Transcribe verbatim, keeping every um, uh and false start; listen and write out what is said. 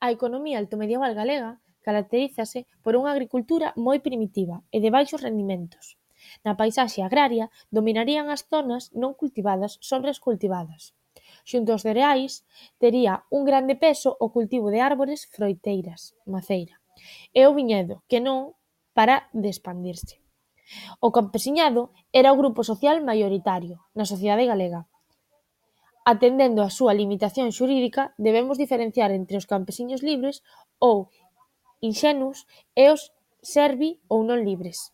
A economía altomedieval galega caracterízase por unha agricultura moi primitiva e de baixos rendimentos. Na paisaxe agraria dominarían as zonas non cultivadas sobre as cultivadas. Xunto aos cereais, tería un grande peso o cultivo de árbores froiteiras, maceira, e o viñedo, que non para de expandirse. O campesiñado era o grupo social maioritario na sociedade galega. Atendendo á súa limitación xurídica, debemos diferenciar entre os campesiños libres ou inxenuos e os servi ou non libres.